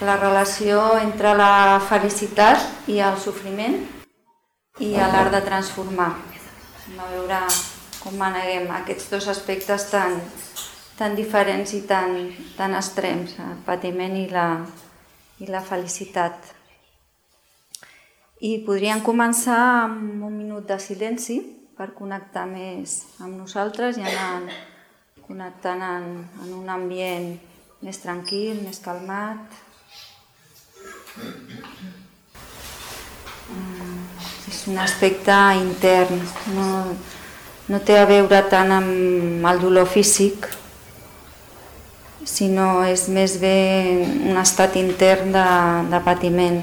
la relació entre la felicitat i el sofriment i l'art de transformar. A veure com maneguem aquests dos aspectes tan diferents i tan extrems, el patiment i la felicitat. I podríem començar amb un minut de silenci per connectar més amb nosaltres i anar connectant en un ambient més tranquil, més calmat. És un aspecte intern, no té a veure tant amb el dolor físic, sinó és més bé un estat intern de patiment,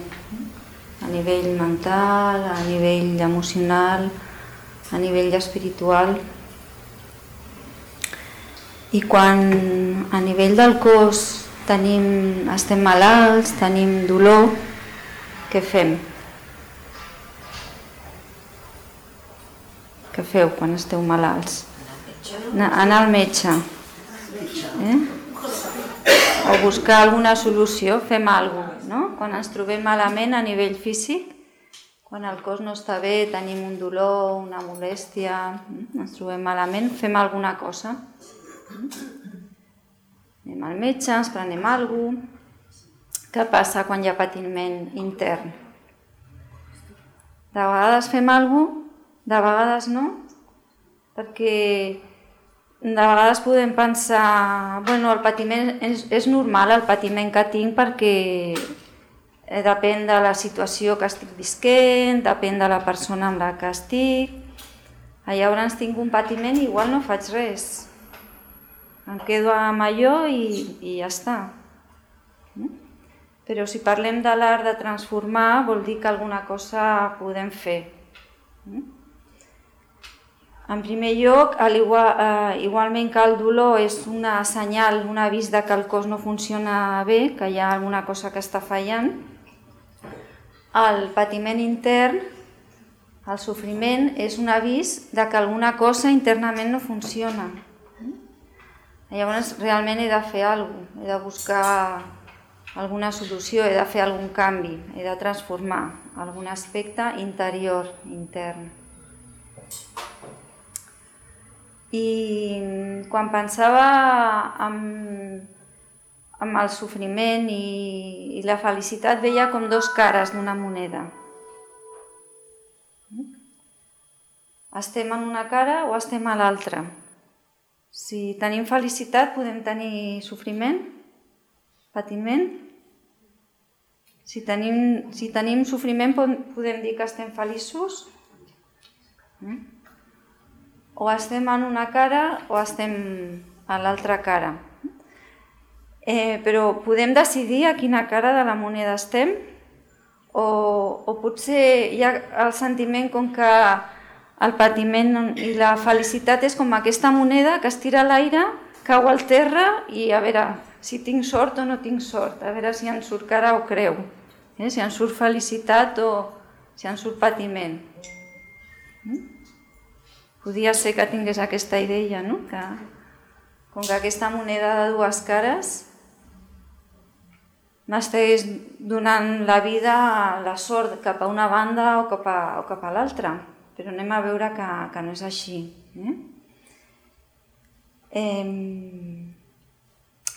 a nivell mental, a nivell emocional, a nivell espiritual. I quan a nivell del cos estem malalts, tenim dolor, què fem? Què feu quan esteu malalts? Anar al metge. O buscar alguna solució, fem alguna cosa, no? Quan ens trobem malament a nivell físic, quan el cos no està bé, tenim un dolor, una molèstia, ens trobem malament, fem alguna cosa. Anem al metge, ens prenem alguna cosa. Què passa quan hi ha patiment intern? De vegades fem alguna cosa, de vegades no, perquè de vegades podem pensar, el patiment és normal, el patiment que tinc, perquè depèn de la situació que estic visquent, depèn de la persona amb la que estic. Llavors tinc un patiment i igual no faig res. Em quedo amb allò i ja està. Però si parlem de l'art de transformar, vol dir que alguna cosa podem fer. En primer lloc, igualment que el dolor és una senyal, un avís de que el cos no funciona bé, que hi ha alguna cosa que està fallant, el patiment intern, el sofriment, és un avís de que alguna cosa internament no funciona. Llavors realment he de fer alguna cosa, he de buscar alguna solució, he de fer algun canvi, he de transformar algun aspecte interior, intern. I quan pensava en el sofriment i la felicitat, veia com dos cares d'una moneda. Estem en una cara o estem a l'altra. Si tenim felicitat podem tenir sofriment, patiment. Si tenim sofriment podem dir que estem feliços. O estem en una cara o estem a l'altra cara. Però podem decidir a quina cara de la moneda estem o potser hi ha el sentiment com que el patiment i la felicitat és com aquesta moneda que es tira a l'aire, cau al terra i a veure si tinc sort o no tinc sort, a veure si en surt cara o creu, si en surt felicitat o si en surt patiment. Podria ser que tingués aquesta idea, no? Que com que aquesta moneda de dues cares m'estigués donant la vida, la sort cap a una banda o cap a l'altra, però anem a veure que no és així.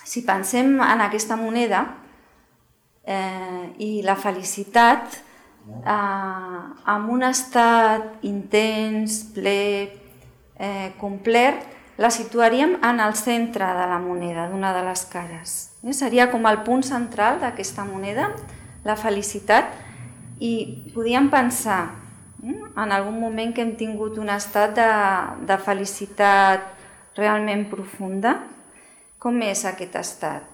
Si pensem en aquesta moneda i la felicitat amb un estat intens, ple, complet, la situaríem en el centre de la moneda, d'una de les cares. Seria com el punt central d'aquesta moneda, la felicitat, i podíem pensar en algun moment que hem tingut un estat de felicitat realment profunda. Com és aquest estat?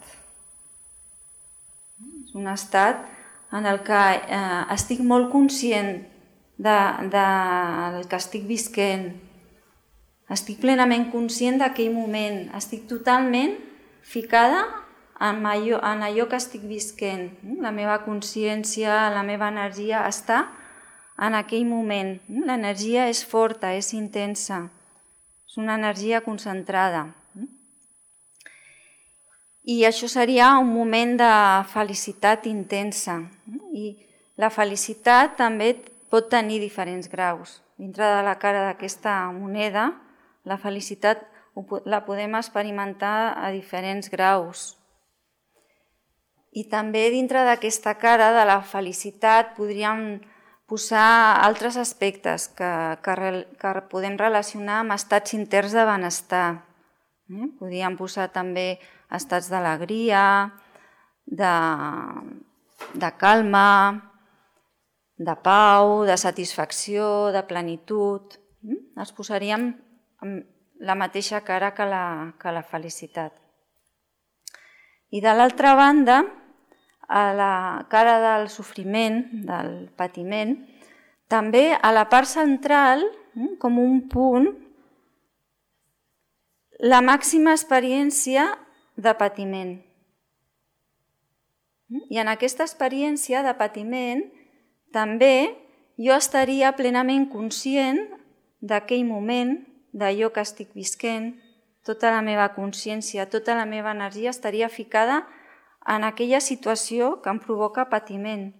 És un estat en el que estic molt conscient del que estic visquent, estic plenament conscient d'aquell moment, estic totalment ficada en allò que estic visquent. La meva consciència, la meva energia està en aquell moment. L'energia és forta, és intensa, és una energia concentrada. I això seria un moment de felicitat intensa. I la felicitat també pot tenir diferents graus. Dintre de la cara d'aquesta moneda, la felicitat la podem experimentar a diferents graus. I també dintre d'aquesta cara de la felicitat podríem posar altres aspectes que podem relacionar amb estats interns de benestar. Podríem posar també estats d'alegria, de calma, de pau, de satisfacció, de plenitud. Els posaríem amb la mateixa cara que la felicitat. I de l'altra banda, a la cara del sofriment, del patiment, també a la part central, com un punt, la màxima experiència de patiment. I en aquesta experiència de patiment també jo estaria plenament conscient d'aquell moment, d'allò que estic visquent, tota la meva consciència, tota la meva energia estaria ficada en aquella situació que em provoca patiment.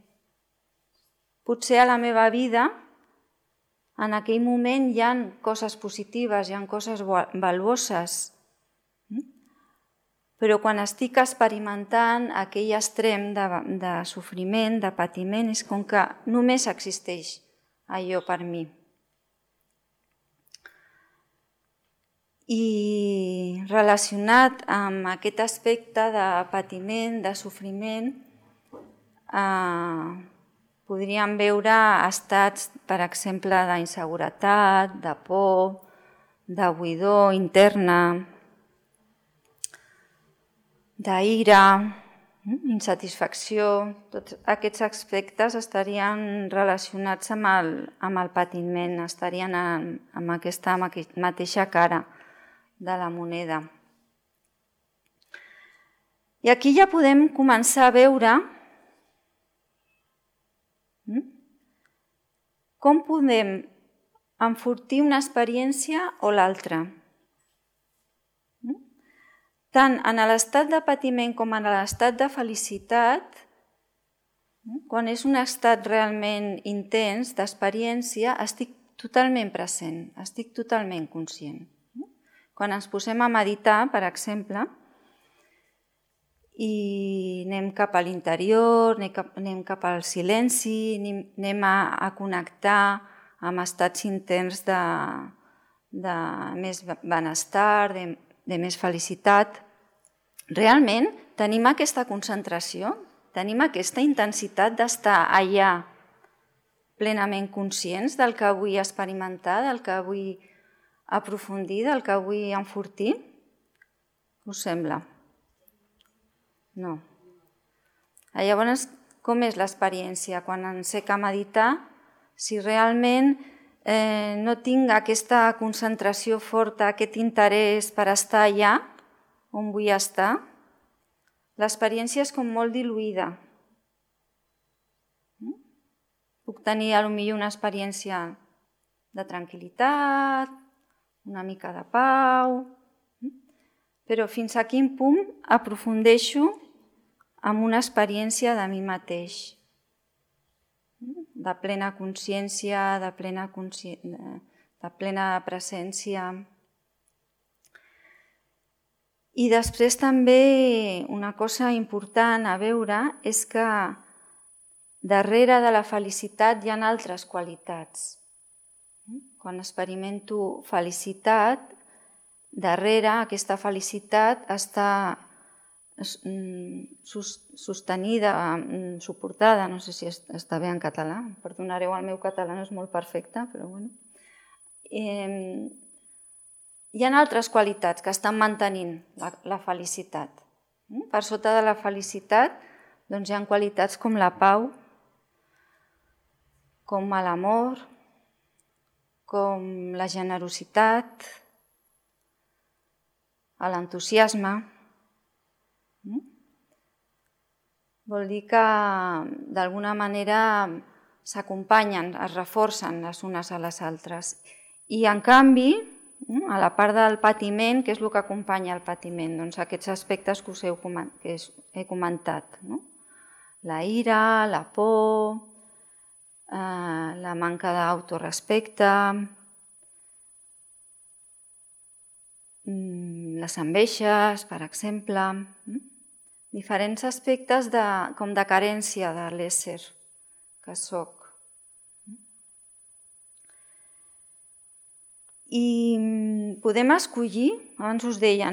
Potser a la meva vida, en aquell moment hi ha coses positives, hi ha coses valuoses, però quan estic experimentant aquell extrem de sofriment, de patiment, és com que només existeix allò per mi. I relacionat amb aquest aspecte de patiment, de sofriment, podríem veure estats, per exemple, d'inseguretat, de por, de buidor interna, d'ira, insatisfacció. Tots aquests aspectes estarien relacionats amb el patiment, estarien amb aquesta mateixa cara de la moneda. I aquí ja podem començar a veure com podem enfortir una experiència o l'altra. Tant en l'estat de patiment com en l'estat de felicitat, quan és un estat realment intens d'experiència, estic totalment present, estic totalment conscient. Quan ens posem a meditar, per exemple, i anem cap a l'interior, anem cap al silenci, anem a connectar amb estats interns de més benestar, de més felicitat, realment tenim aquesta concentració, tenim aquesta intensitat d'estar allà plenament conscients del que vull experimentar, del que vull aprofundir, del que vull enfortir? Què us sembla? No. Llavors, com és l'experiència? Quan encec a meditar, si realment no tinc aquesta concentració forta, aquest interès per estar allà on vull estar, l'experiència és com molt diluïda. Puc tenir potser una experiència de tranquil·litat, una mica de pau, però fins a quin punt aprofundeixo en una experiència de mi mateix, de plena consciència, de plena presència. I després també una cosa important a veure és que darrere de la felicitat hi ha altres qualitats. Quan experimento felicitat, darrere aquesta felicitat està sostenida, suportada, no sé si està bé en català, perdonareu, el meu català no és molt perfecte, però bueno. Hi ha altres qualitats que estan mantenint la felicitat. Per sota de la felicitat hi ha qualitats com la pau, com l'amor, com la generositat, l'entusiasme. Vol dir que d'alguna manera s'acompanyen, es reforcen les unes a les altres. I en canvi, a la part del patiment, què és el que acompanya el patiment? Doncs aquests aspectes que us he comentat. La ira, la por, la manca d'autorespecte, les enveges, per exemple, diferents aspectes com de carència de l'ésser que soc. I podem escollir, abans us deia,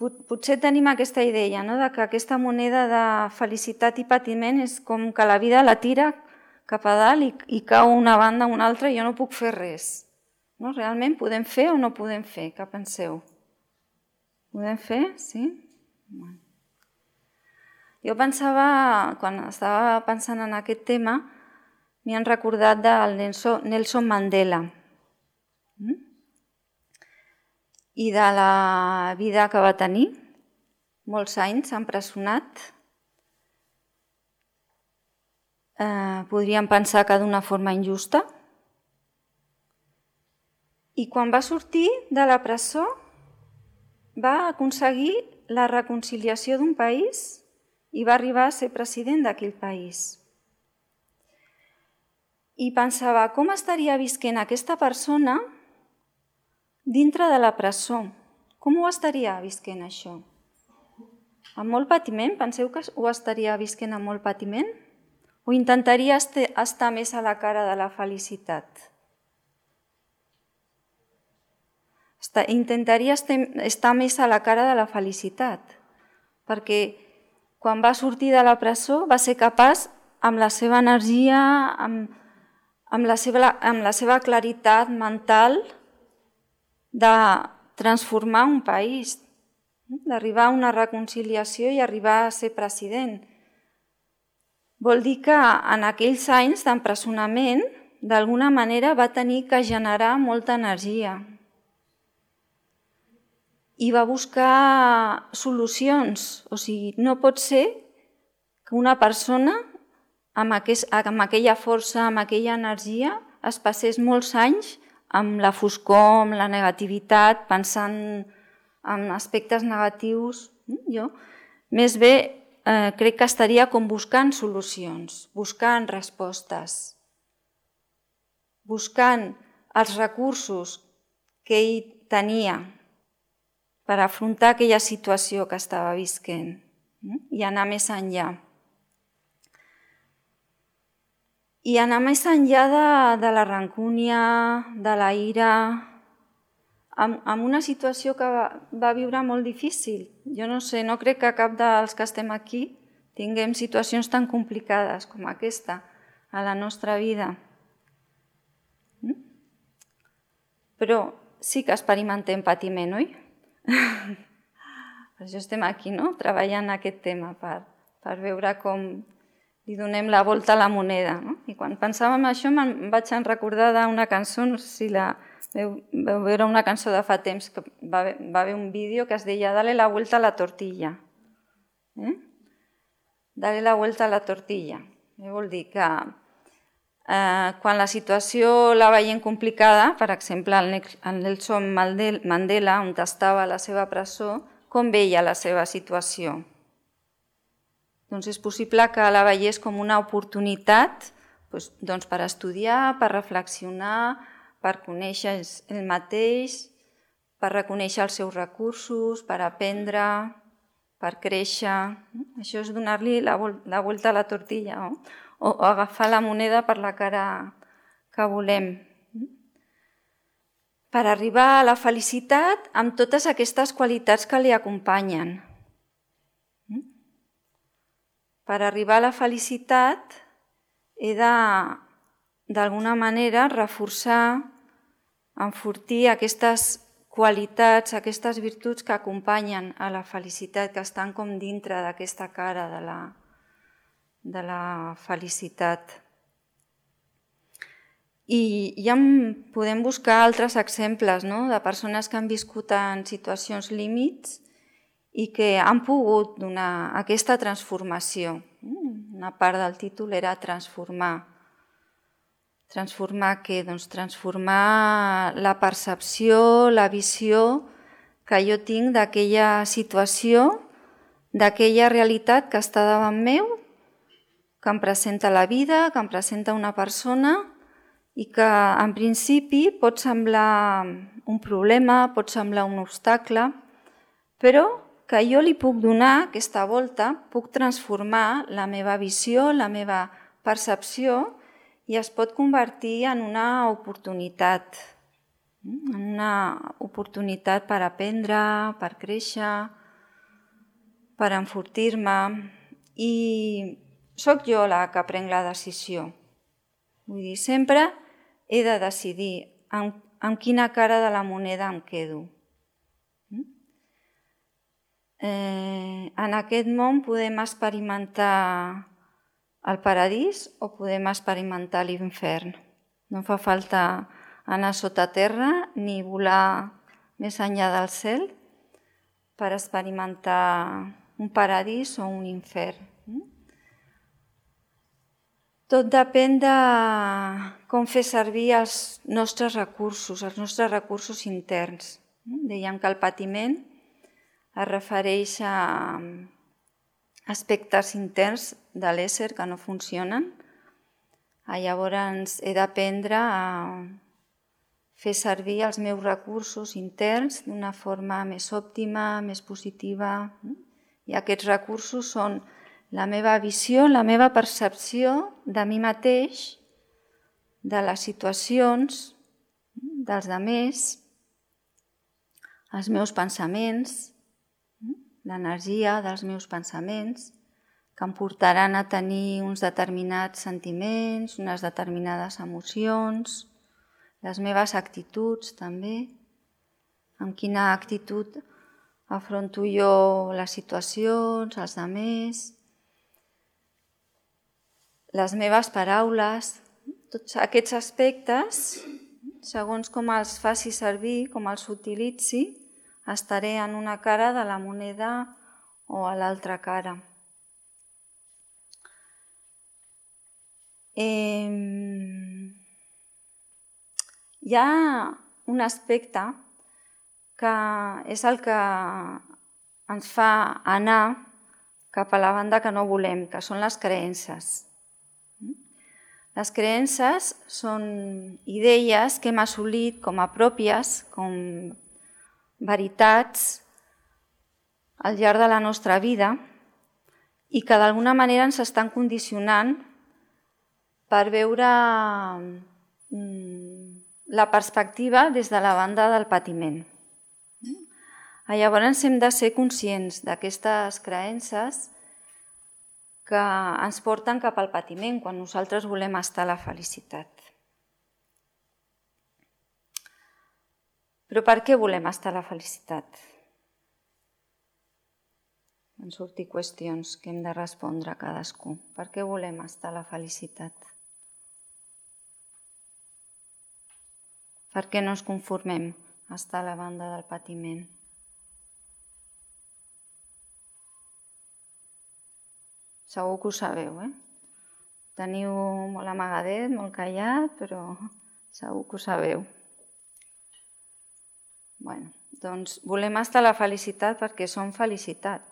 potser tenim aquesta idea de que aquesta moneda de felicitat i patiment és com que la vida la tira cap a dalt i cau una banda o una altra i jo no puc fer res. Realment podem fer o no podem fer? Què penseu? Podem fer? Sí? Jo pensava, quan estava pensant en aquest tema, m'hi han recordat del Nelson Mandela i de la vida que va tenir, molts anys empresonat. Podríem pensar que d'una forma injusta. I quan va sortir de la presó va aconseguir la reconciliació d'un país i va arribar a ser president d'aquell país. I pensava, com estaria visquent aquesta persona dintre de la presó? Com ho estaria visquent això? Amb molt patiment? Penseu que ho estaria visquent amb molt patiment? O intentaria estar més a la cara de la felicitat? Intentaria estar més a la cara de la felicitat, perquè quan va sortir de la presó va ser capaç, amb la seva energia, amb la seva claritat mental, de transformar un país, d'arribar a una reconciliació i arribar a ser president. Vol dir que en aquells anys d'empresonament, d'alguna manera va tenir que generar molta energia i va buscar solucions. O sigui, no pot ser que una persona amb aquella força, amb aquella energia, es passés molts anys amb la foscor, amb la negativitat, pensant en aspectes negatius. Jo més bé crec que estaria com buscant solucions, buscant respostes, buscant els recursos que ell tenia per afrontar aquella situació que estava visquent i anar més enllà. I anar més enllà de la rancúnia, de la ira, amb una situació que va viure molt difícil. Jo no sé, no crec que cap dels que estem aquí tinguem situacions tan complicades com aquesta a la nostra vida. Però sí que experimentem patiment, oi? Per això estem aquí, treballant aquest tema, per veure com li donem la volta a la moneda. I quan pensava en això me'n vaig recordar d'una cançó, no sé si la veu veure, una cançó de fa temps, que va haver un vídeo que es deia Dale la vuelta a la tortilla. Dale la vuelta a la tortilla. Vol dir que quan la situació la veiem complicada, per exemple, el Nelson Mandela, on estava a la seva presó, com veia la seva situació? Doncs és possible que la veiés com una oportunitat per estudiar, per reflexionar, per conèixer ell mateix, per reconèixer els seus recursos, per aprendre, per créixer. Això és donar-li la volta a la tortilla, o agafar la moneda per la cara que volem. Per arribar a la felicitat amb totes aquestes qualitats que li acompanyen. Per arribar a la felicitat he d'alguna manera reforçar, enfortir aquestes qualitats, aquestes virtuts que acompanyen a la felicitat, que estan com dintre d'aquesta cara de la felicitat. I ja podem buscar altres exemples de persones que han viscut en situacions límits i que han pogut donar aquesta transformació. Una part del títol era transformar Transformar què? Doncs transformar la percepció, la visió que jo tinc d'aquella situació, d'aquella realitat que està davant meu, que em presenta la vida, que em presenta una persona i que en principi pot semblar un problema, pot semblar un obstacle, però que jo li puc donar aquesta volta, puc transformar la meva visió, la meva percepció i es pot convertir en una oportunitat per aprendre, per créixer, per enfortir-me. I sóc jo la que prenc la decisió. Vull dir, sempre he de decidir amb quina cara de la moneda em quedo. En aquest món podem experimentar el paradís o podem experimentar l'infern. No fa falta anar sota terra ni volar més enllà del cel per experimentar un paradís o un infern. Tot depèn de com fer servir els nostres recursos interns. Dèiem que el patiment es refereix a aspectes interns de l'ésser que no funcionen. Llavors he d'aprendre a fer servir els meus recursos interns d'una forma més òptima, més positiva. I aquests recursos són la meva visió, la meva percepció de mi mateix, de les situacions, dels altres, els meus pensaments, l'energia dels meus pensaments, que em portaran a tenir uns determinats sentiments, unes determinades emocions, les meves actituds també, amb quina actitud afronto jo les situacions, els altres, les meves paraules, tots aquests aspectes, segons com els faci servir, com els utilitzi, estaré en una cara de la moneda o a l'altra cara. Hi ha un aspecte que és el que ens fa anar cap a la banda que no volem, que són les creences. Les creences són idees que hem assolit com a pròpies, com veritats al llarg de la nostra vida i que d'alguna manera ens estan condicionant per veure la perspectiva des de la banda del patiment. Llavors hem de ser conscients d'aquestes creences que ens porten cap al patiment quan nosaltres volem estar a la felicitat. Però per què volem estar a la felicitat? Van sortir qüestions que hem de respondre a cadascú. Per què volem estar a la felicitat? Per què no ens conformem a estar a la banda del patiment? Segur que ho sabeu, Teniu molt amagadet, molt callat, però segur que ho sabeu. Doncs volem estar a la felicitat perquè som felicitat.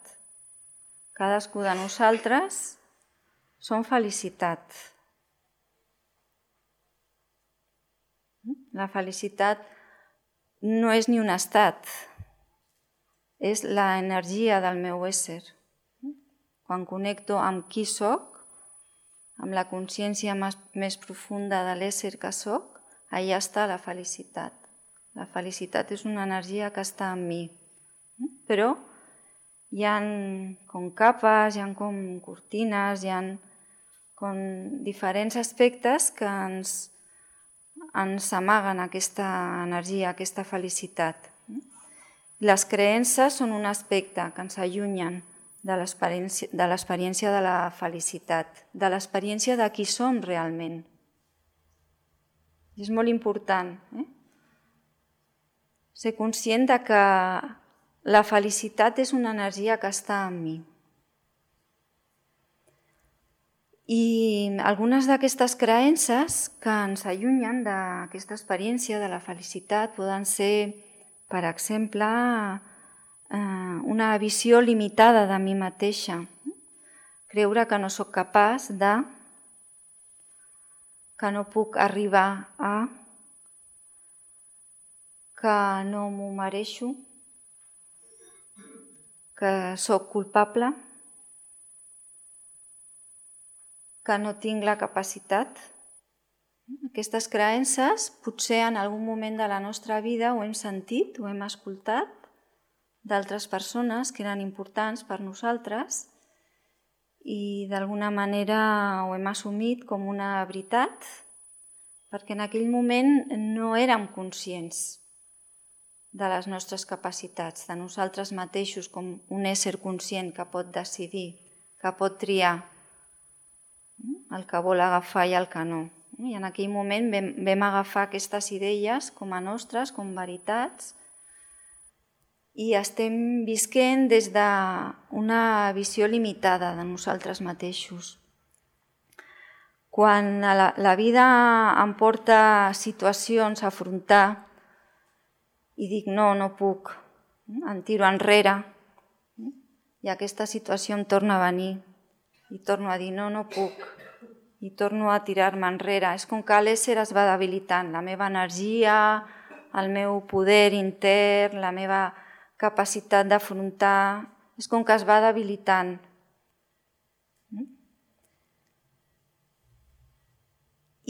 Cadascú de nosaltres som felicitat. La felicitat no és ni un estat, és l'energia del meu ésser. Quan connecto amb qui soc, amb la consciència més profunda de l'ésser que soc, allà està la felicitat. La felicitat és una energia que està en mi. Però hi ha com capes, hi ha com cortines, hi ha com diferents aspectes que ens amaguen aquesta energia, aquesta felicitat. Les creences són un aspecte que ens allunyen de l'experiència de la felicitat, de l'experiència de qui som realment. És molt important, ser conscient de que la felicitat és una energia que està en mi. I algunes d'aquestes creences que ens allunyen d'aquesta experiència de la felicitat poden ser, per exemple, una visió limitada de mi mateixa. Creure que no sóc capaç de, que no puc arribar a, que no m'ho mereixo, que sóc culpable, que no tinc la capacitat. Aquestes creences potser en algun moment de la nostra vida ho hem sentit, ho hem escoltat d'altres persones que eren importants per nosaltres i d'alguna manera ho hem assumit com una veritat perquè en aquell moment no érem conscients de les nostres capacitats, de nosaltres mateixos com un ésser conscient que pot decidir, que pot triar el que vol agafar i el que no. I en aquell moment vam agafar aquestes idees com a nostres, com veritats, i estem visquent des d'una visió limitada de nosaltres mateixos. Quan la vida em porta situacions a afrontar i dic no puc, em tiro enrere i aquesta situació em torna a venir i torno a dir no puc i torno a tirar-me enrere. És com que l'ésser es va debilitant, la meva energia, el meu poder intern, la meva capacitat d'afrontar, és com que es va debilitant.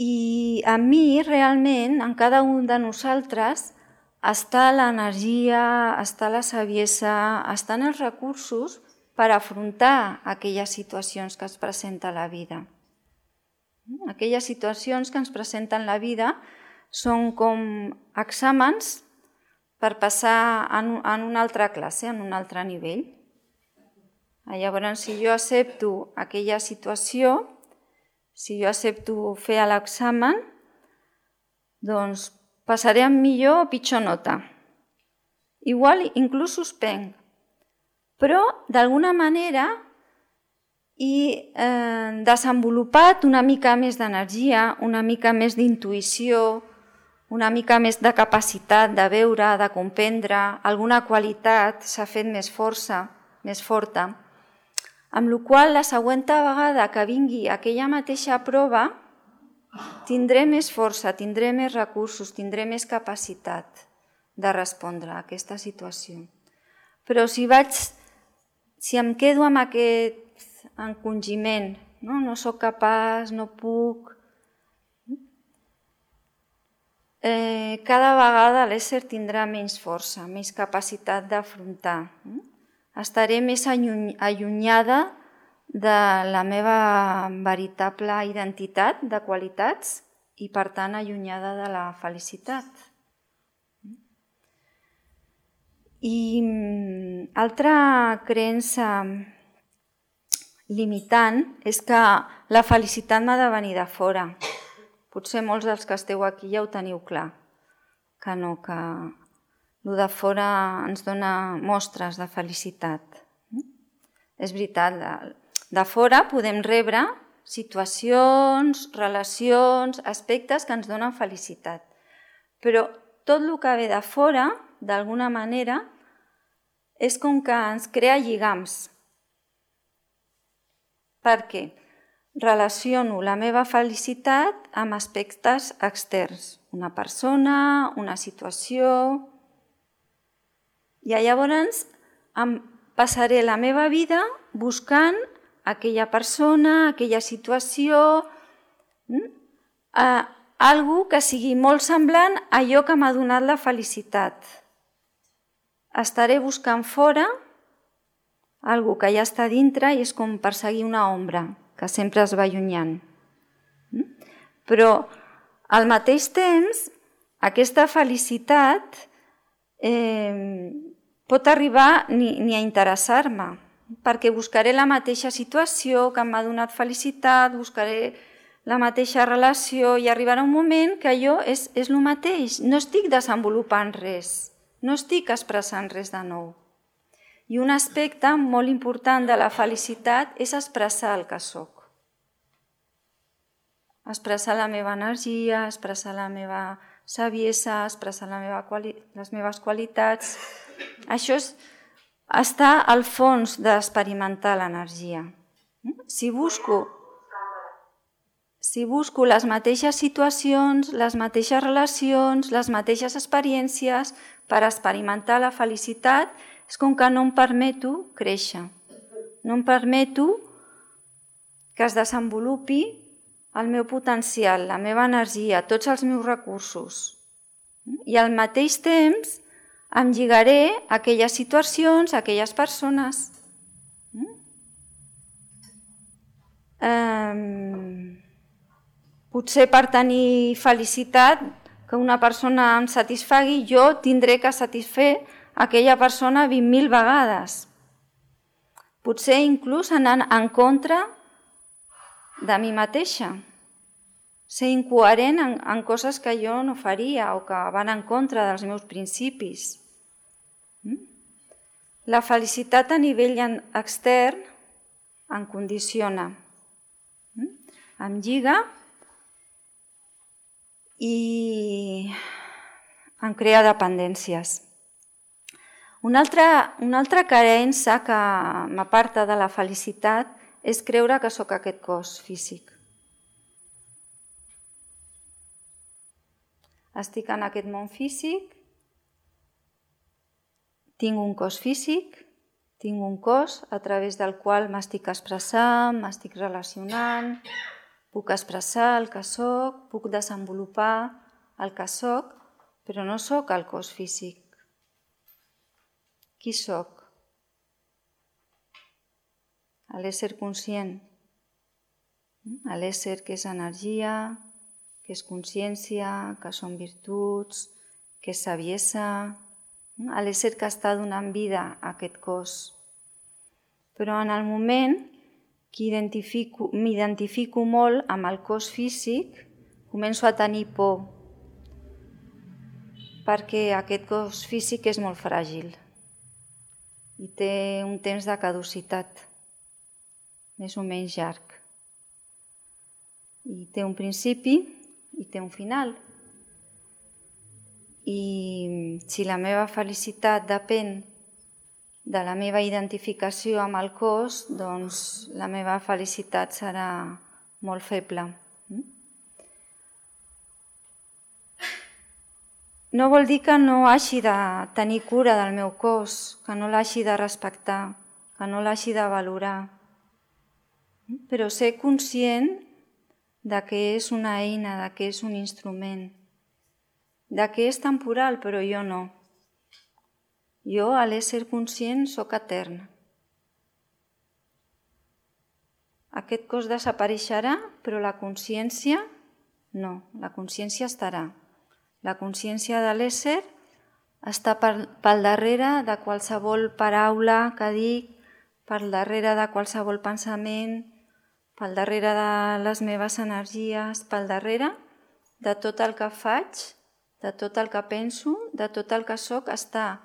I a mi, realment, en cada un de nosaltres, està l'energia, està la saviesa, estan els recursos per afrontar aquelles situacions que es presenten a la vida. Aquelles situacions que ens presenten la vida són com exàmens per passar en una altra classe, en un altre nivell. Llavors, si jo accepto aquella situació, si jo accepto fer l'examen, doncs passaré amb millor o pitjor nota. Igual, inclús suspenc. Però, d'alguna manera, he desenvolupat una mica més d'energia, una mica més d'intuïció, una mica més de capacitat de veure, de comprendre, alguna qualitat s'ha fet més forta, amb la qual la següent vegada que vingui aquella mateixa prova tindré més força, tindré més recursos, tindré més capacitat de respondre a aquesta situació. Però si em quedo amb aquest encongiment, no sóc capaç, no puc, cada vegada l'ésser tindrà menys força, més capacitat d'afrontar. Estaré més allunyada de la meva veritable identitat de qualitats i, per tant, allunyada de la felicitat. I altra creença limitant és que la felicitat m'ha de venir de fora. Potser molts dels que esteu aquí ja ho teniu clar, que no, que el de fora ens dona mostres de felicitat. És veritat, de fora podem rebre situacions, relacions, aspectes que ens donen felicitat. Però tot el que ve de fora, d'alguna manera, és com que ens crea lligams. Per què? Relaciono la meva felicitat amb aspectes externs. Una persona, una situació. I llavors em passaré la meva vida buscant aquella persona, aquella situació, algo que sigui molt semblant a allò que m'ha donat la felicitat. Estaré buscant fora algo que ja està dintre i és com perseguir una ombra que sempre es va allunyant. Però al mateix temps, aquesta felicitat pot arribar ni a interessar-me, perquè buscaré la mateixa situació que m'ha donat felicitat, buscaré la mateixa relació i arribarà un moment que allò és el mateix. No estic desenvolupant res, no estic expressant res de nou. I un aspecte molt important de la felicitat és expressar el que soc. expressar la meva energia, expressar la meva saviesa, expressar les meves qualitats. Això està al fons d'experimentar l'energia. Si busco les mateixes situacions, les mateixes relacions, les mateixes experiències per experimentar la felicitat, és com que no em permeto créixer. No em permeto que es desenvolupi el meu potencial, la meva energia, tots els meus recursos. I al mateix temps em lligaré a aquelles situacions, a aquelles persones. Potser per tenir felicitat, que una persona em satisfagui, jo tindré que satisfer aquella persona 20.000 vegades. Potser inclús anant en contra de mi mateixa. Ser incoherent en coses que jo no faria o que van en contra dels meus principis. La felicitat a nivell extern em condiciona, em lliga i em crea dependències. Una altra creença que m'aparta de la felicitat és creure que sóc aquest cos físic. Estic en aquest món físic, tinc un cos físic, tinc un cos a través del qual m'estic expressant, m'estic relacionant, puc expressar el que soc, puc desenvolupar el que soc, però no soc el cos físic. Qui soc? L'ésser conscient, l'ésser que és energia, que és consciència, que són virtuts, que és saviesa, l'ésser que està donant vida a aquest cos. Però en el moment que m'identifico molt amb el cos físic, començo a tenir por, perquè aquest cos físic és molt fràgil i té un temps de caducitat, més o menys llarg. I té un principi i té un final. I si la meva felicitat depèn de la meva identificació amb el cos, doncs la meva felicitat serà molt feble. No vol dir que no hagi de tenir cura del meu cos, que no l'hagi de respectar, que no l'hagi de valorar, però ser conscient de que és una eina, de que és un instrument, de que és temporal, però jo no. Jo, a l'ésser conscient, sóc etern. Aquest cos desapareixerà, però la consciència no, la consciència estarà. La consciència de l'ésser està pel darrere de qualsevol paraula que dic, pel darrere de qualsevol pensament, pel darrere de les meves energies, pel darrere de tot el que faig, de tot el que penso, de tot el que soc, està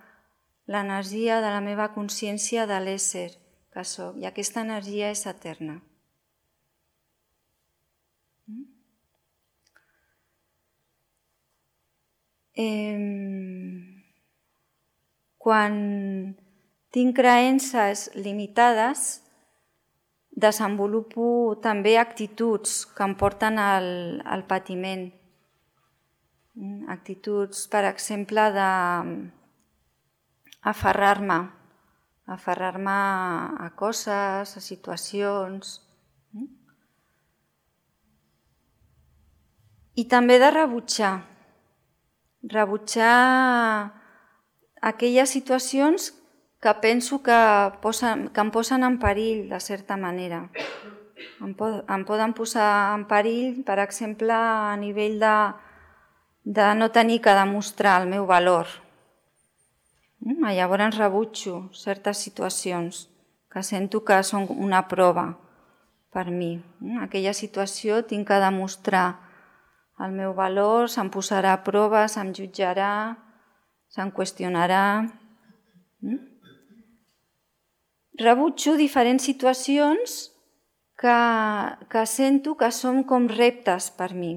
l'energia de la meva consciència de l'ésser que soc, i aquesta energia és eterna. Quan tinc creences limitades, desenvolupo també actituds que em porten al patiment. Actituds, per exemple, d'aferrar-me a coses, a situacions. I també de rebutjar aquelles situacions que penso que em posen en perill, de certa manera. Em poden posar en perill, per exemple, a nivell de no tenir que demostrar el meu valor. Llavors rebutjo certes situacions que sento que són una prova per mi. Aquella situació tinc que demostrar el meu valor, se'm posarà a prova, se'm jutjarà, se'm qüestionarà. Rebutjo diferents situacions que sento que són com reptes per mi.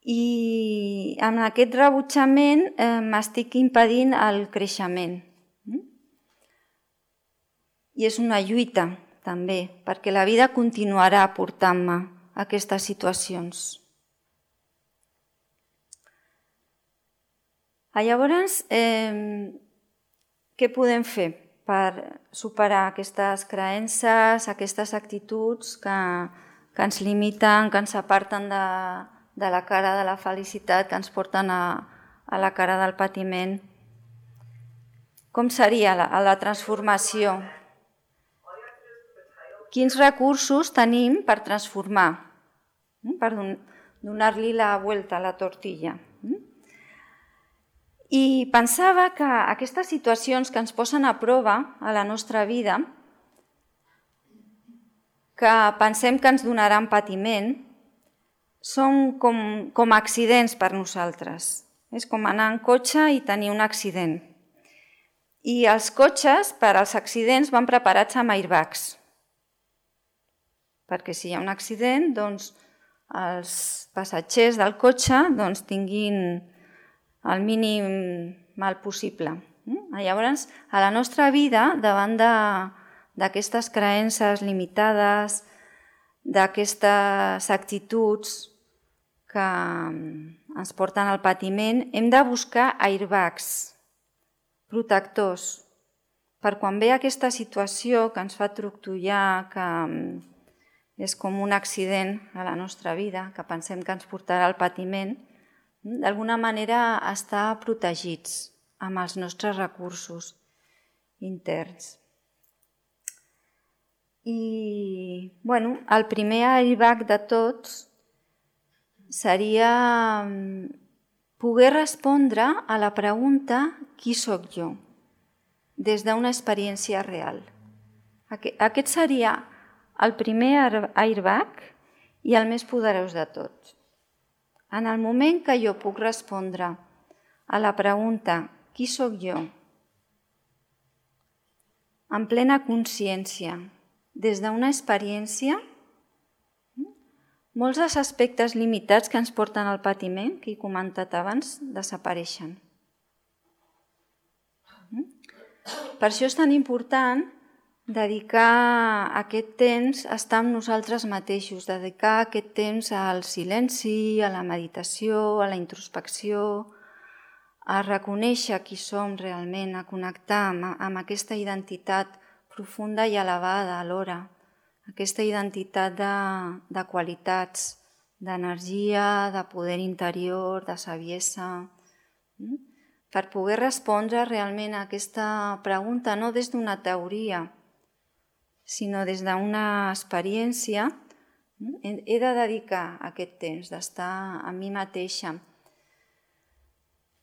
I amb aquest rebutjament m'estic impedint el creixement. I és una lluita, també, perquè la vida continuarà portant-me a aquestes situacions. Llavors, què podem fer per superar aquestes creences, aquestes actituds que ens limiten, que ens aparten de la cara de la felicitat, que ens porten a la cara del patiment? Com seria la transformació? Quins recursos tenim per transformar, per donar-li la vuelta a la tortilla? I pensava que aquestes situacions que ens posen a prova a la nostra vida, que pensem que ens donaran patiment, són com accidents per nosaltres. És com anar en cotxe i tenir un accident. I els cotxes, per als accidents, van preparats amb airbags. Perquè si hi ha un accident, doncs, els passatgers del cotxe tinguin el mínim mal possible. Llavors, a la nostra vida, davant d'aquestes creences limitades, d'aquestes actituds que ens porten al patiment, hem de buscar airbags, protectors, per quan ve aquesta situació que ens fa trontollar, que és com un accident a la nostra vida, que pensem que ens portarà al patiment, d'alguna manera estar protegits amb els nostres recursos interns. I, el primer airbag de tots seria poder respondre a la pregunta «Qui sóc jo?» des d'una experiència real. Aquest seria el primer airbag i el més poderós de tots. En el moment que jo puc respondre a la pregunta «Qui sóc jo?» en plena consciència, des d'una experiència, molts dels aspectes limitats que ens porten al patiment, que he comentat abans, desapareixen. Per això és tan important dedicar aquest temps a estar amb nosaltres mateixos, dedicar aquest temps al silenci, a la meditació, a la introspecció, a reconèixer qui som realment, a connectar amb aquesta identitat profunda i elevada alhora, aquesta identitat de qualitats, d'energia, de poder interior, de saviesa, per poder respondre realment a aquesta pregunta, no des d'una teoria, sinó des d'una experiència, he de dedicar aquest temps d'estar amb mi mateixa.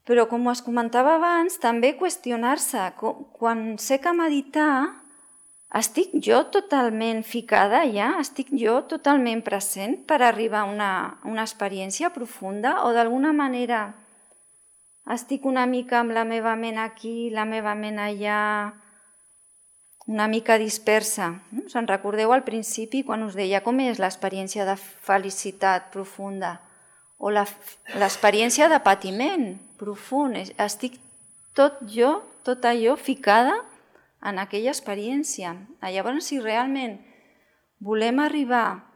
Però, com us comentava abans, també qüestionar-se. Quan sé que meditar, estic jo totalment ficada ja? Estic jo totalment present per arribar a una experiència profunda? O d'alguna manera estic una mica amb la meva ment aquí, la meva ment allà, una mica dispersa? Us en recordeu al principi quan us deia com és l'experiència de felicitat profunda o l'experiència de patiment profund? Estic tot allò ficada en aquella experiència. Llavors, si realment volem arribar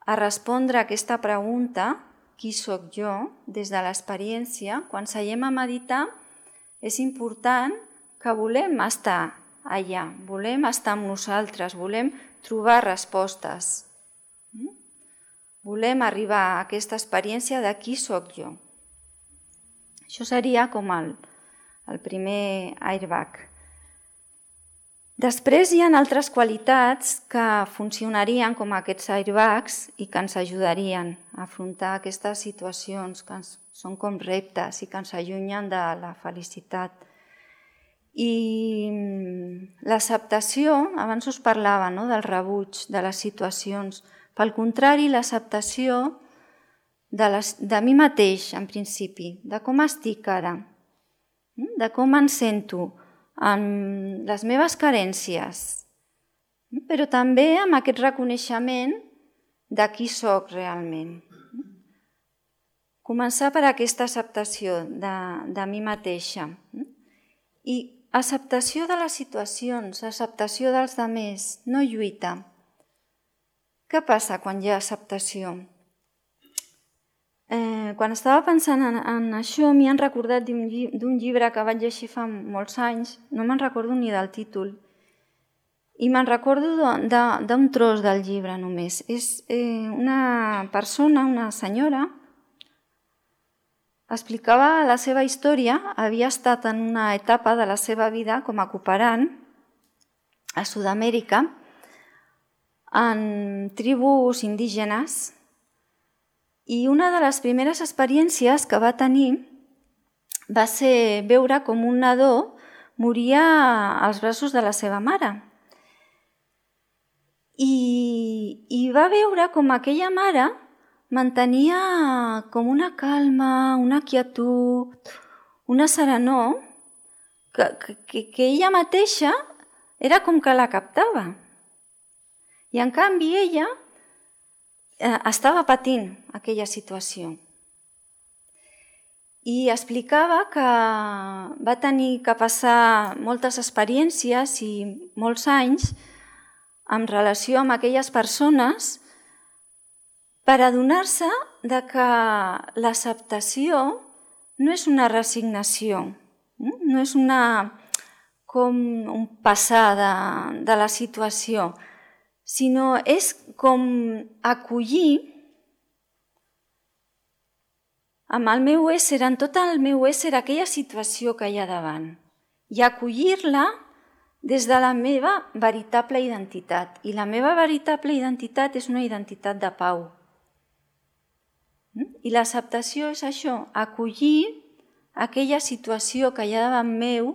a respondre a aquesta pregunta, qui sóc jo, des de l'experiència, quan seiem a meditar, és important que volem estar allà, volem estar amb nosaltres, volem trobar respostes. Volem arribar a aquesta experiència de qui sóc jo. Això seria com el primer airbag. Després hi ha altres qualitats que funcionarien com aquests airbags i que ens ajudarien a afrontar aquestes situacions que són com reptes i que ens allunyen de la felicitat. I l'acceptació, abans us parlava del rebuig, de les situacions. Pel contrari, l'acceptació de mi mateix, en principi, de com estic ara, de com em sento, amb les meves carències, però també amb aquest reconeixement de qui sóc realment. Començar per aquesta acceptació de mi mateixa. I acceptació de les situacions, acceptació dels altres, no lluita. Què passa quan hi ha acceptació? Quan estava pensant en això, m'hi han recordat d'un llibre que vaig llegir fa molts anys, no me'n recordo ni del títol, i me'n recordo d'un tros del llibre només. És una persona, una senyora, explicava la seva història, havia estat en una etapa de la seva vida com a cooperant a Sud-amèrica en tribus indígenes, i una de les primeres experiències que va tenir va ser veure com un nadó moria als braços de la seva mare. I va veure com aquella mare mantenia com una calma, una quietud, una serenor, que ella mateixa era com que la captava. I en canvi ella estava patint aquella situació. I explicava que va tenir que passar moltes experiències i molts anys en relació amb aquelles persones per adonar-se que l'acceptació no és una resignació, no és com un passar de la situació, sinó és com acollir amb el meu ésser, en tot el meu ésser, aquella situació que hi ha davant i acollir-la des de la meva veritable identitat. I la meva veritable identitat és una identitat de pau. I l'acceptació és això, acollir aquella situació que hi ha davant meu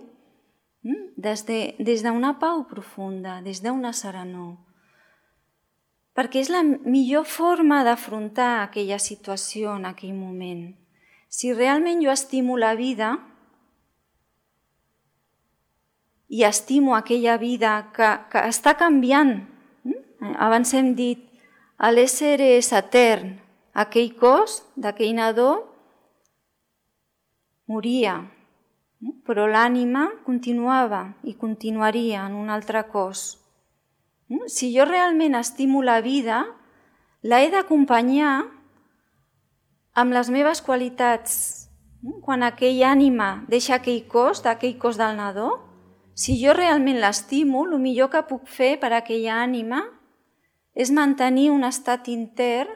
des d'una pau profunda, des d'una serenor. Perquè és la millor forma d'afrontar aquella situació en aquell moment. Si realment jo estimo la vida i estimo aquella vida que està canviant, abans hem dit, l'ésser és etern, aquell cos d'aquell nadó moria, però l'ànima continuava i continuaria en un altre cos. Si jo realment estimo la vida, l'he d'acompanyar amb les meves qualitats. Quan aquella ànima deixa aquell cos del nadó, si jo realment l'estimo, el millor que puc fer per a aquella ànima és mantenir un estat intern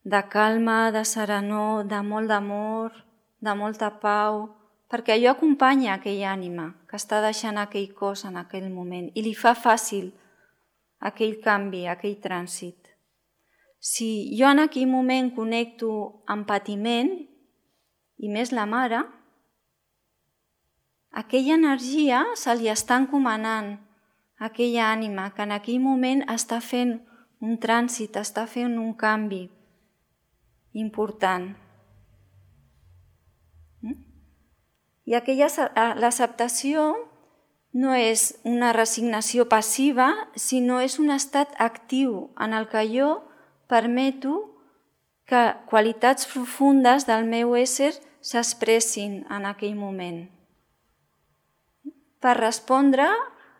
de calma, de serenor, de molt d'amor, de molta pau, perquè allò acompanya aquella ànima que està deixant aquell cos en aquell moment i li fa fàcil aquell canvi, aquell trànsit. Si jo en aquell moment connecto amb patiment, i més la mare, aquella energia se li està encomanant a aquella ànima que en aquell moment està fent un trànsit, està fent un canvi important. I l'acceptació no és una resignació passiva, sinó és un estat actiu en el que jo permeto que qualitats profundes del meu ésser s'expressin en aquell moment per respondre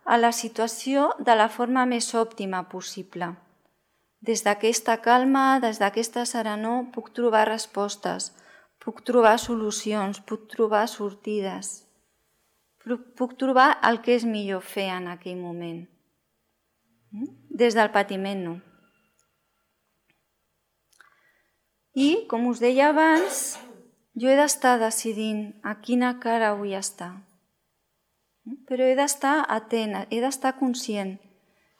a la situació de la forma més òptima possible. Des d'aquesta calma, des d'aquesta serenor, puc trobar respostes, puc trobar solucions, puc trobar sortides. Puc trobar el que és millor fer en aquell moment. Des del patiment no. I, com us deia abans, jo he d'estar decidint a quina cara vull estar. Però he d'estar atent, he d'estar conscient.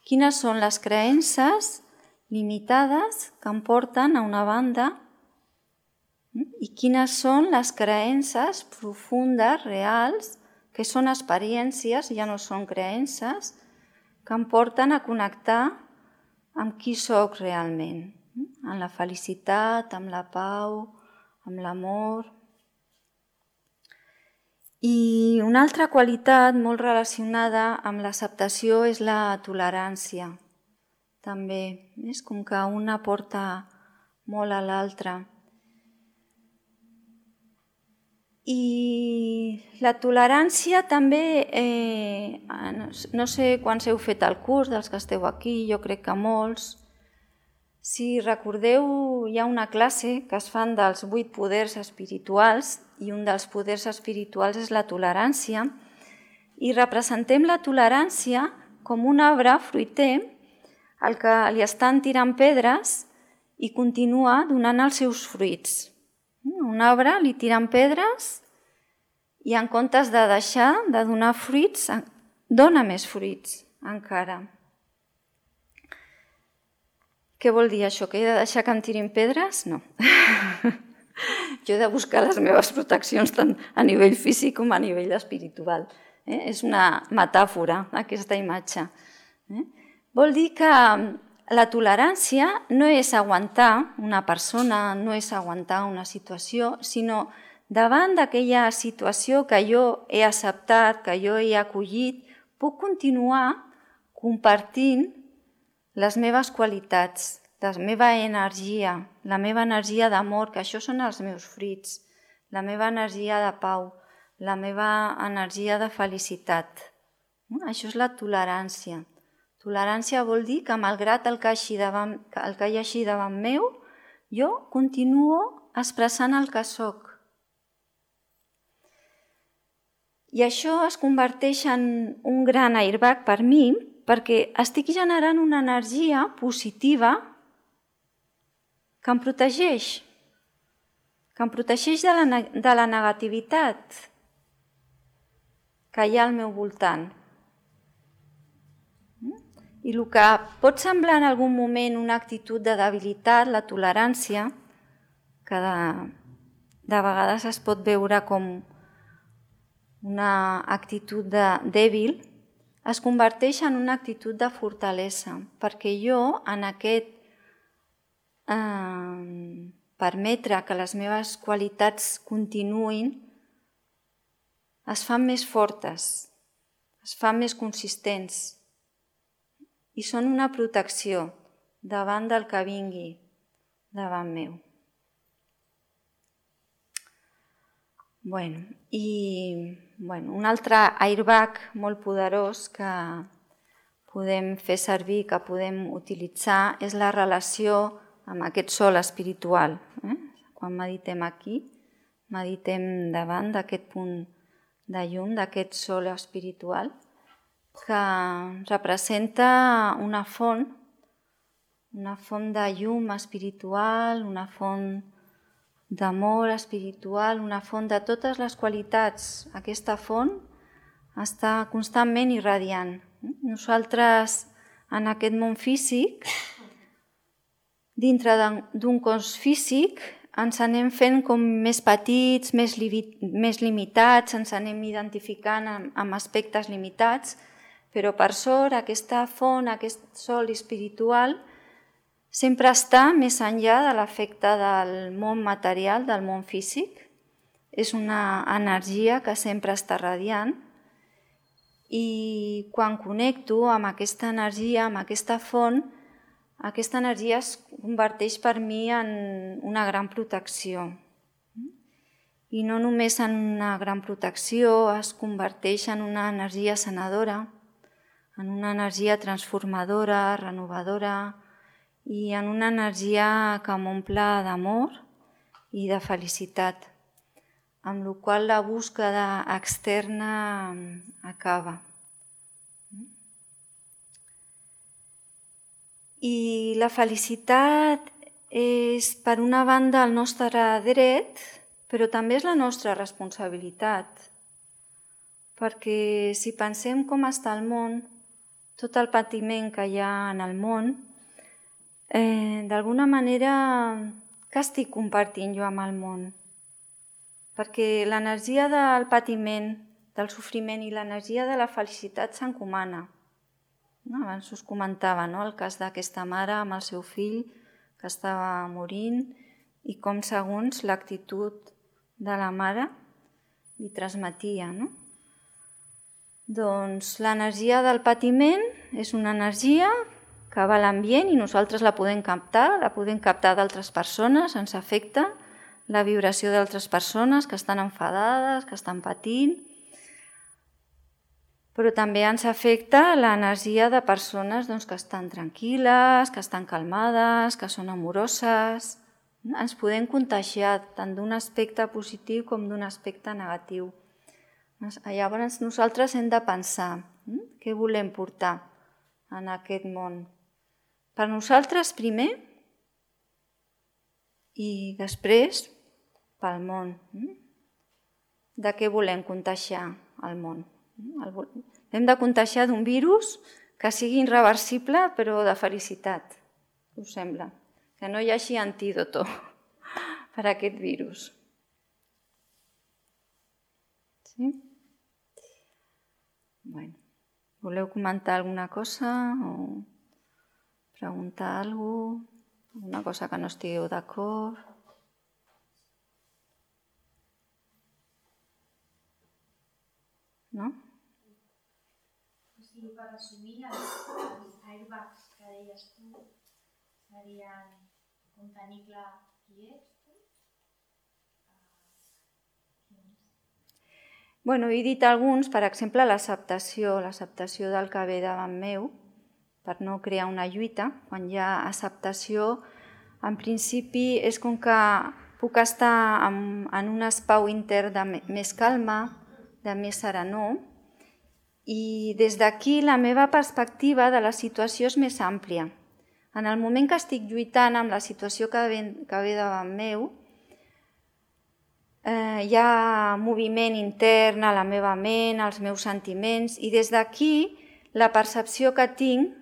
Quines són les creences limitades que em porten a una banda i quines són les creences profundes, reals, que són experiències, ja no són creences, que em porten a connectar amb qui sóc realment, amb la felicitat, amb la pau, amb l'amor. I una altra qualitat molt relacionada amb l'acceptació és la tolerància. També és com que una porta molt a l'altra. I la tolerància també, no sé quants heu fet el curs dels que esteu aquí, jo crec que molts. Si recordeu, hi ha una classe que es fan dels 8 poders espirituals i un dels poders espirituals és la tolerància i representem la tolerància com un arbre fruiter al que li estan tirant pedres i continua donant els seus fruits. Un arbre li tiren pedres i en comptes de deixar de donar fruits, dona més fruits encara. Què vol dir això? Que he de deixar que em tirin pedres? No. Jo he de buscar les meves proteccions tant a nivell físic com a nivell espiritual. És una metàfora, aquesta imatge. Vol dir que la tolerància no és aguantar una persona, no és aguantar una situació, sinó davant d'aquella situació que jo he acceptat, que jo he acollit, puc continuar compartint les meves qualitats, la meva energia d'amor, que això són els meus fruits, la meva energia de pau, la meva energia de felicitat. Això és la tolerància. Tolerància vol dir que malgrat el que hi hagi davant meu, jo continuo expressant el que sóc. I això es converteix en un gran airbag per mi, perquè estic generant una energia positiva que em protegeix de la negativitat que hi ha al meu voltant. I el que pot semblar en algun moment una actitud de debilitat, la tolerància, que de vegades es pot veure com una actitud dèbil, es converteix en una actitud de fortalesa, perquè jo en aquest permetre que les meves qualitats continuïn es fan més fortes, es fan més consistents i són una protecció davant del que vingui davant meu. Un altre airbag molt poderós que podem fer servir, que podem utilitzar, és la relació amb aquest sol espiritual. Quan meditem aquí, meditem davant d'aquest punt de llum, d'aquest sol espiritual, que representa una font de llum espiritual, una font d'amor espiritual, una font de totes les qualitats. Aquesta font està constantment irradiant. Nosaltres, en aquest món físic, dintre d'un cos físic, ens anem fent com més petits, més limitats, ens anem identificant amb aspectes limitats, però per sort aquesta font, aquest sol espiritual, sempre està més enllà de l'efecte del món material, del món físic. És una energia que sempre està radiant i quan connecto amb aquesta energia, amb aquesta font, aquesta energia es converteix per mi en una gran protecció. I no només en una gran protecció, es converteix en una energia sanadora, en una energia transformadora, renovadora, i en una energia que m'omple d'amor i de felicitat, amb la qual la búsqueda externa acaba. I la felicitat és, per una banda, el nostre dret, però també és la nostra responsabilitat, perquè si pensem com està el món, tot el patiment que hi ha en el món, d'alguna manera, què estic compartint jo amb el món? Perquè l'energia del patiment, del sofriment i l'energia de la felicitat s'encomana. Abans us comentava el cas d'aquesta mare amb el seu fill que estava morint i com segons l'actitud de la mare li transmetia, no? Doncs l'energia del patiment és una energia que va a l'ambient i nosaltres la podem captar d'altres persones, ens afecta la vibració d'altres persones que estan enfadades, que estan patint, però també ens afecta l'energia de persones que estan tranquil·les, que estan calmades, que són amoroses. Ens podem contagiar tant d'un aspecte positiu com d'un aspecte negatiu. Llavors nosaltres hem de pensar què volem portar en aquest món. Per nosaltres primer i després pel món. De què volem contagiar el món? Hem de contagiar d'un virus que sigui irreversible però de felicitat, us sembla? Que no hi hagi antídoto per a aquest virus. Sí? Bueno, voleu comentar alguna cosa o preguntar alguna cosa? Alguna cosa que no estigueu d'acord? No? O sigui, per resumir, els airbags que deies tu serien com tenir clar qui ets tu? Bueno, he dit alguns, per exemple, l'acceptació del que ve davant meu, per no crear una lluita. Quan hi ha acceptació, en principi és com que puc estar en un espai intern de més calma, de més serenor, i des d'aquí la meva perspectiva de la situació és més àmplia. En el moment que estic lluitant amb la situació que ve davant meu, hi ha moviment intern a la meva ment, als meus sentiments, i des d'aquí la percepció que tinc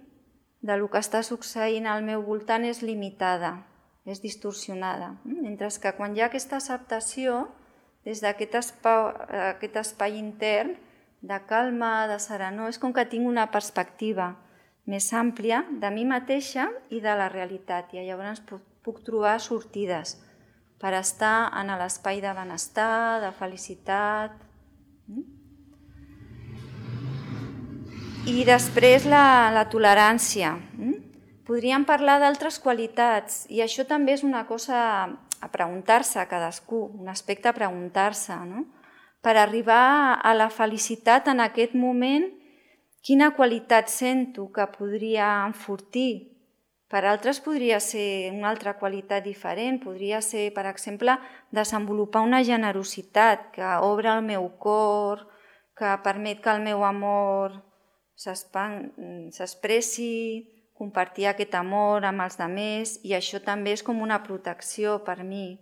del que està succeint al meu voltant és limitada, és distorsionada. Mentre que quan hi ha aquesta acceptació, des d'aquest espai intern de calma, de serenor, és com que tinc una perspectiva més àmplia de mi mateixa i de la realitat, i llavors puc trobar sortides per estar en l'espai de benestar, de felicitat. I després la tolerància. Podríem parlar d'altres qualitats, i això també és una cosa a preguntar-se a cadascú, un aspecte a preguntar-se, no? Per arribar a la felicitat en aquest moment, quina qualitat sento que podria enfortir? Per altres podria ser una altra qualitat diferent, podria ser, per exemple, desenvolupar una generositat que obre el meu cor, que permet que el meu amor s'expressi, compartir aquest amor amb els altres, i això també és com una protecció per mi.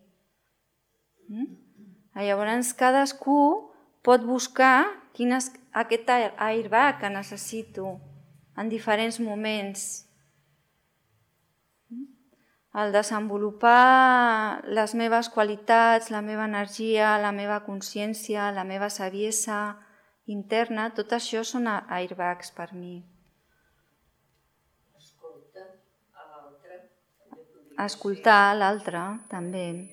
Llavors cadascú pot buscar quin és aquest airbag que necessito en diferents moments. El desenvolupar les meves qualitats, la meva energia, la meva consciència, la meva saviesa interna, tot això són airbags per mi. Escoltar l'altre, també.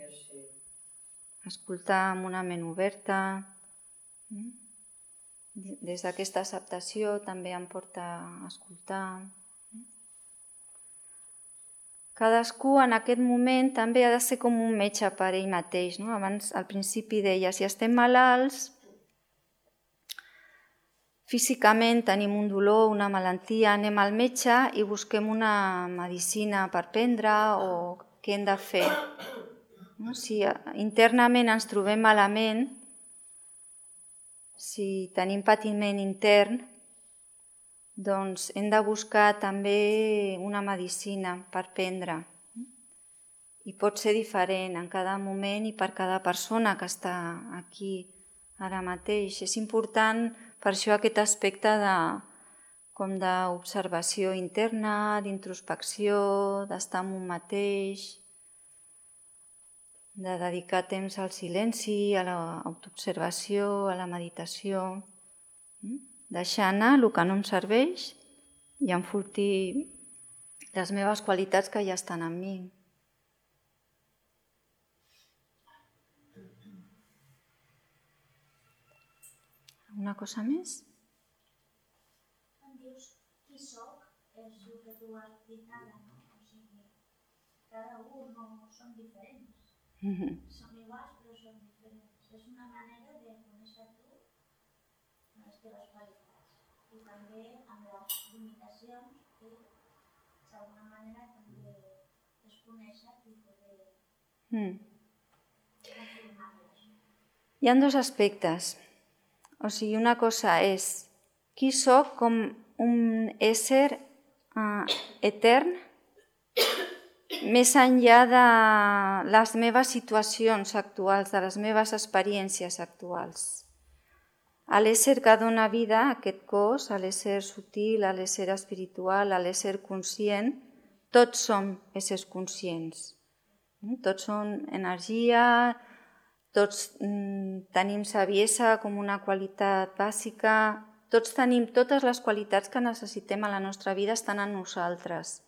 Escoltar amb una ment oberta. Des d'aquesta acceptació també em porta a escoltar. Cadascú en aquest moment també ha de ser com un metge per ell mateix. Abans, al principi deia, si estem malalts, físicament tenim un dolor, una malaltia, anem al metge i busquem una medicina per prendre o què hem de fer. Si internament ens trobem malament, si tenim patiment intern, doncs hem de buscar també una medicina per prendre. I pot ser diferent en cada moment i per cada persona que està aquí ara mateix. És important per això aquest aspecte d'observació interna, d'introspecció, d'estar amb un mateix, de dedicar temps al silenci, a l'autoobservació, a la meditació, deixar anar el que no em serveix i enfortir les meves qualitats que ja estan en mi. Una cosa més? Quan dius qui soc, és el que tu has dit ara, no? O sigui, cada un no són diferents. Som iguals però són diferents. És una manera de conèixer tu amb les teves qualitats i també amb les limitacions que d'alguna manera també es conèixer i poder confirmar-les. Hi ha dos aspectes. O sigui, una cosa és qui soc com un ésser etern més enllà de les meves situacions actuals, de les meves experiències actuals. A l'ésser que dona vida a aquest cos, a l'ésser sutil, a l'ésser espiritual, a l'ésser conscient, tots som éssers conscients. Tots són energia, tots tenim saviesa com una qualitat bàsica, tots tenim totes les qualitats que necessitem a la nostra vida estan en nosaltres.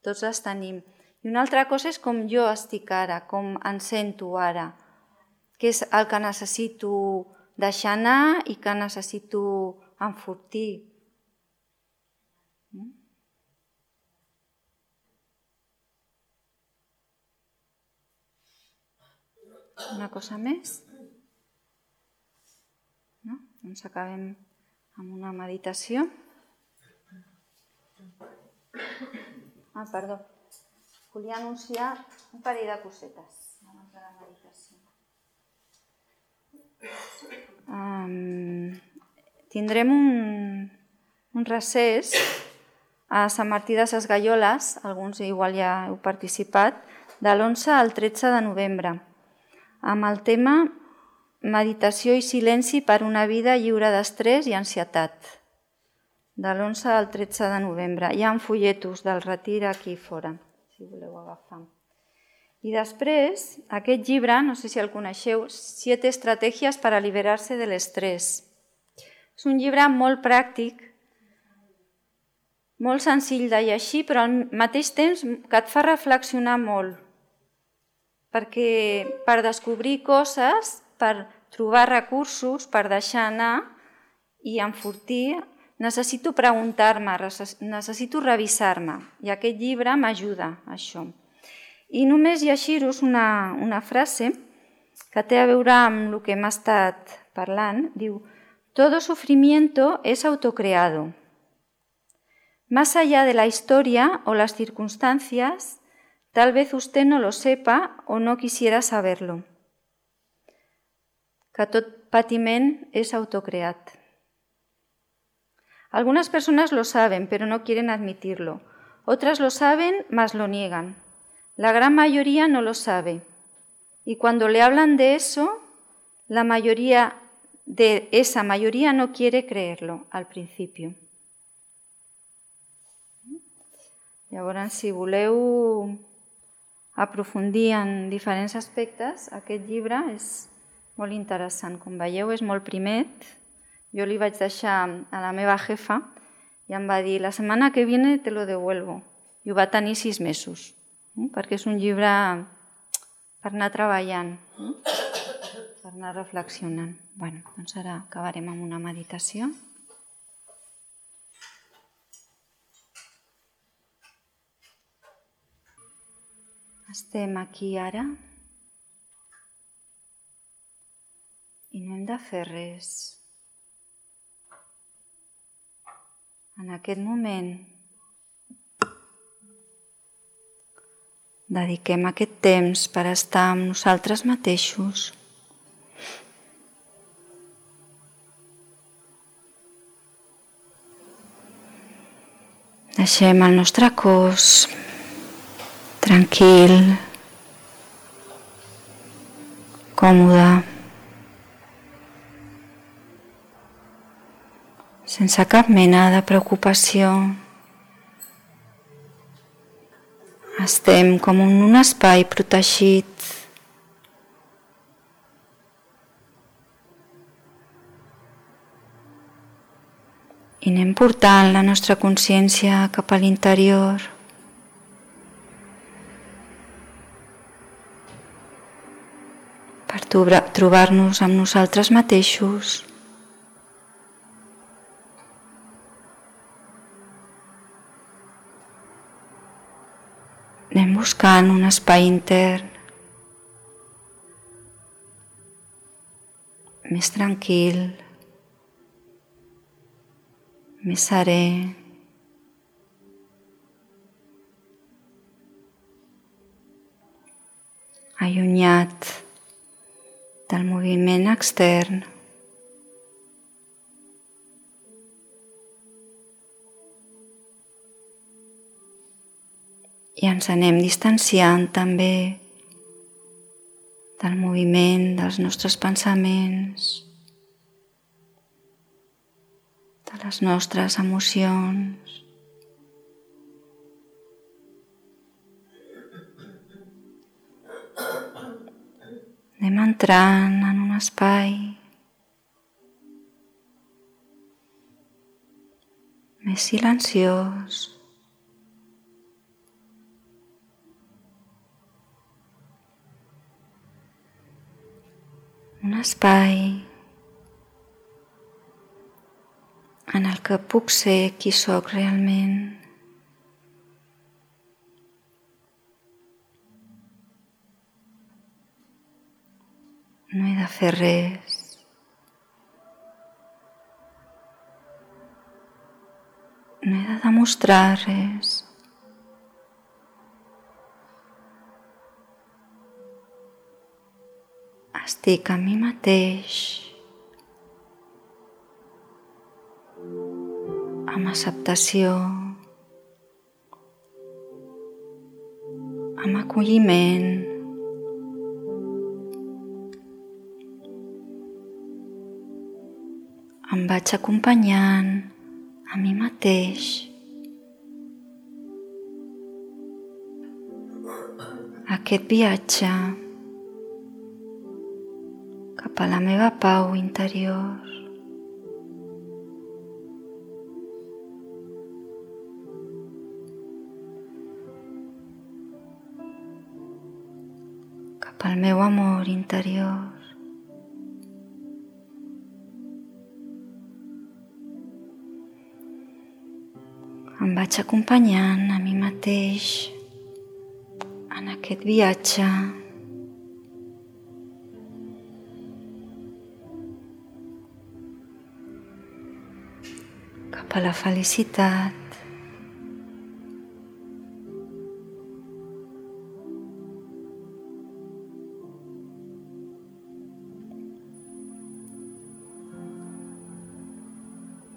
Tots les tenim. I una altra cosa és com jo estic ara, com em sento ara, que és el que necessito deixar anar i que necessito enfortir. Una cosa més? No? Doncs acabem amb una meditació. Perdó. Volia anunciar un parell de cosetes abans de la meditació. Tindrem un recés a Sant Martí de Sesgueioles, alguns igual ja heu participat, de l'11 al 13 de novembre, amb el tema Meditació i silenci per una vida lliure d'estrès i ansietat, de l'11 al 13 de novembre. Hi ha folletos del retir aquí fora, si voleu agafar. I després, aquest llibre, no sé si el coneixeu, 7 estratègies per alliberar-se de l'estrès. És un llibre molt pràctic, molt senzill de llegir, però al mateix temps que et fa reflexionar molt, perquè per descobrir coses, per trobar recursos, per deixar anar i enfortir, necessito preguntar-me, necessito revisar-me, i aquest llibre m'ajuda a això. I només llegir-vos una frase que té a veure amb el que hem estat parlant. Diu, todo sufrimiento es autocreado. Más allá de la historia o las circunstancias, tal vez usted no lo sepa o no quisiera saberlo. Que tot patiment és autocreat. Algunas personas lo saben, pero no quieren admitirlo. Otras lo saben, mas lo niegan. La gran mayoría no lo sabe. Y cuando le hablan de eso, esa mayoría no quiere creerlo al principio. Llavors, si voleu aprofundir en diferents aspectes, aquest llibre és molt interessant. Com veieu, és molt primet. Jo li vaig deixar a la meva jefa i em va dir, la setmana que viene te lo devuelvo. I ho va tenir 6 mesos, perquè és un llibre per anar treballant, per anar reflexionant. Bé, doncs ara acabarem amb una meditació. Estem aquí ara i no hem de fer res. En aquest moment dediquem aquest temps per estar amb nosaltres mateixos. Deixem el nostre cos tranquil, còmode, sense cap mena de preocupació. Estem com en un espai protegit. I anem portant la nostra consciència cap a l'interior. Per trobar-nos amb nosaltres mateixos. Anem buscant un espai intern més tranquil, més serè. Allunyat del moviment extern. I ens anem distanciant també del moviment dels nostres pensaments, de les nostres emocions. Anem entrant en un espai més silenciós, un espai en el que puc ser qui sóc realment. No he de fer res. No he de demostrar res. Estic amb mi mateix, amb acceptació, amb acolliment. Em vaig acompanyant a mi mateix. Aquest viatge cap a la meva pau interior. Cap al meu amor interior. Em vaig acompanyant a mi mateix en aquest viatge cap a la felicitat.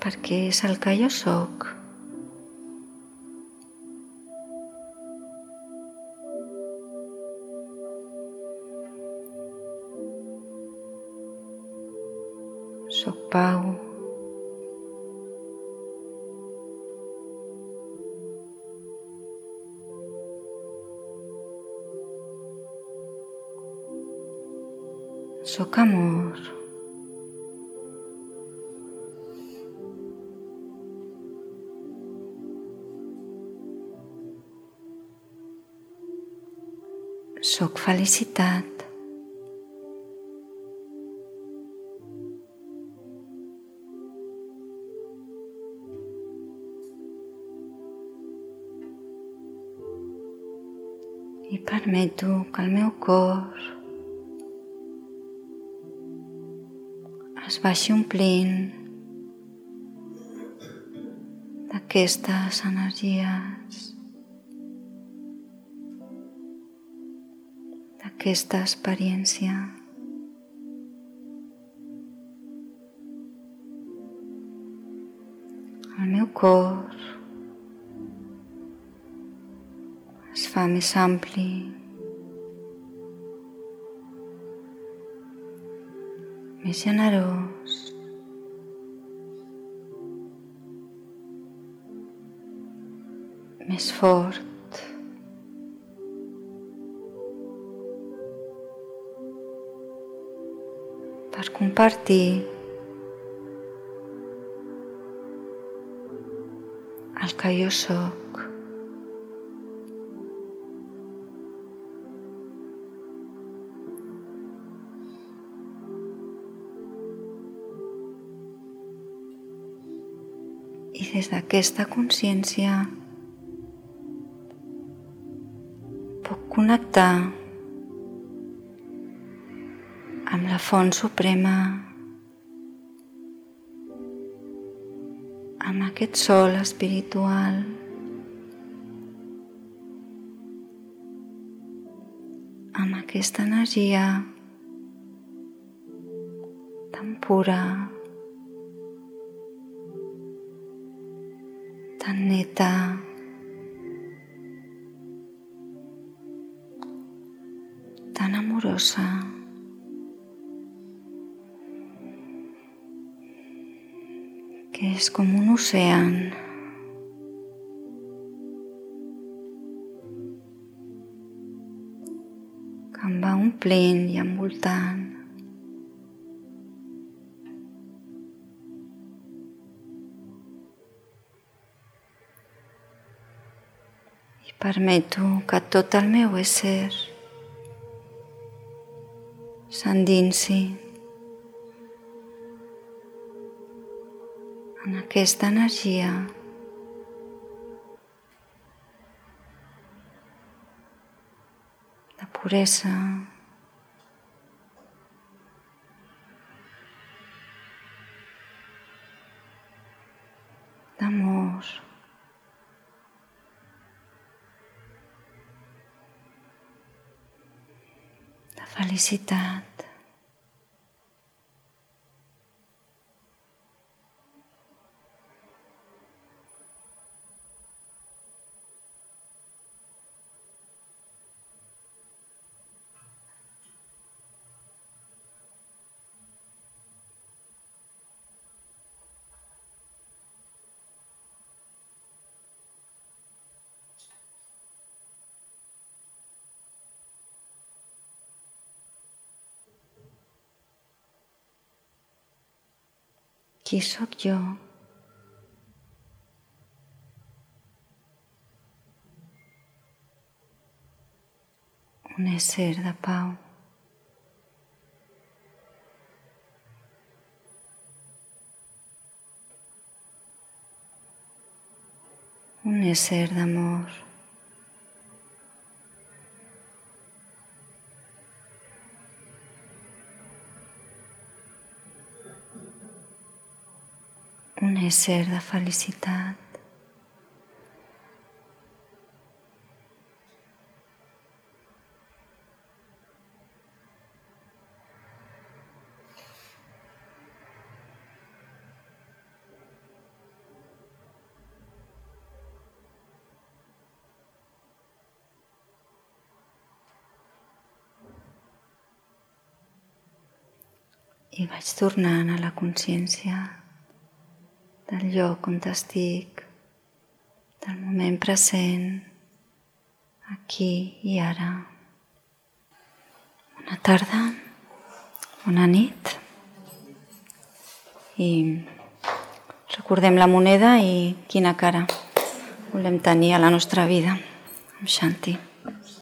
Perquè és el que jo sóc. Soc pau. Soc amor. Soc felicitat. I permeto que el meu cor es vagi omplint d'aquestes energies, d'aquesta experiència. El meu cor es fa més ampli, més generós, més fort, per compartir el que jo sóc. I des d'aquesta consciència puc connectar amb la font suprema, amb aquest sol espiritual, amb aquesta energia tan pura, tan neta, tan amorosa. Que és com un ocean. Que em va omplint i envoltant. I permeto que tot el meu ésser s'endinsi en aquesta energia de puresa, d'amor, de felicitat. Qui sóc jo? Un ésser de pau. Un ésser d'amor. Un ésser de felicitat. I vaig tornant a la consciència del lloc on estic, del moment present, aquí i ara. Bona tarda, bona nit. I recordem la moneda i quina cara volem tenir a la nostra vida. Shanti.